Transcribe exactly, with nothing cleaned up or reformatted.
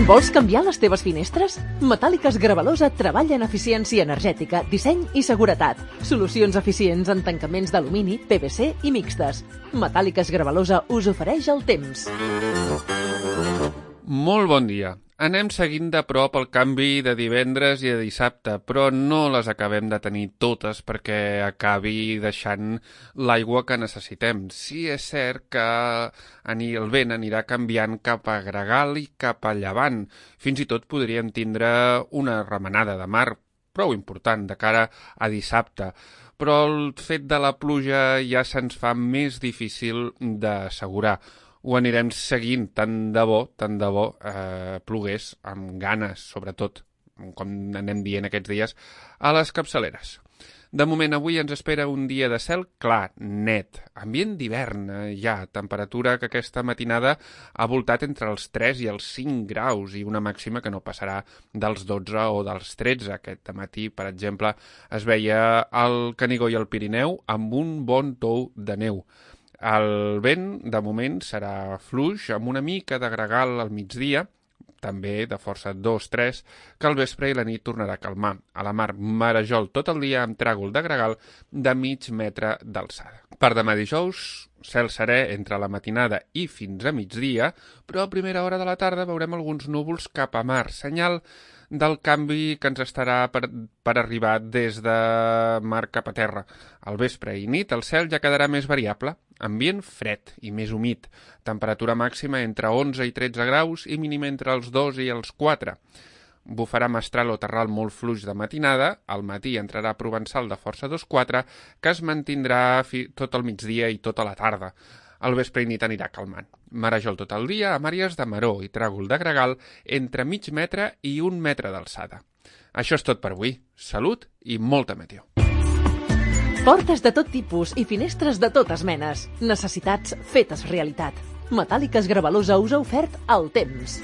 Vols canviar les teves finestres? Metàl·liques Gravalosa treballa en eficiència energètica, disseny i seguretat. Solucions eficients en tancaments d'alumini, P V C i mixtes. Metàl·liques Gravalosa us ofereix el temps. Molt bon dia. Anem seguint de prop el canvi de divendres i de dissabte, però no les acabem de tenir totes perquè acabi deixant l'aigua que necessitem. Sí, és cert que el vent anirà canviant cap a gregal i cap a llevant. Fins i tot podríem tindre una remenada de mar prou important de cara a dissabte, però el fet de la pluja ja se'ns fa més difícil d'assegurar. Ho anirem seguint, tant de bo, tant de bo eh, plogués amb ganes, sobretot, com anem dient aquests dies, a les capçaleres. De moment, avui ens espera un dia de cel clar, net, ambient d'hivern, eh, ja, temperatura que aquesta matinada ha voltat entre els tres i els cinc graus i una màxima que no passarà dels dotze o dels tretze. Aquest matí, per exemple, es veia el Canigó i el Pirineu amb un bon tou de neu. El vent, de moment, serà fluix, amb una mica de gregal al migdia, també de força dos tres, que al vespre i la nit tornarà a calmar. A la mar, marejol tot el dia amb tràgol de gregal de mig metre d'alçada. Per demà dijous, cel serè entre la matinada i fins a migdia, però a primera hora de la tarda veurem alguns núvols cap a mar, senyal del canvi que ens estarà per, per arribar des de mar cap a terra. Al vespre i nit el cel ja quedarà més variable, ambient fred i més humit, temperatura màxima entre onze i tretze graus i mínima entre els dos i els quatre. Bufarà mestral o terral molt fluix de matinada, al matí entrarà provençal de força dos quatre, que es mantindrà fi, tot el migdia i tota la tarda. Al vespre i nit anirà calmant. Marejol tot el dia amb àrees de maró i tràgol de gregal entre mig metre i un metre d'alçada. Això és tot per avui. Salut i molta meteo. Portes de tot tipus i finestres de totes menes. Necessitats fetes realitat. Metàl·liques Gravalosa us ha ofert el temps.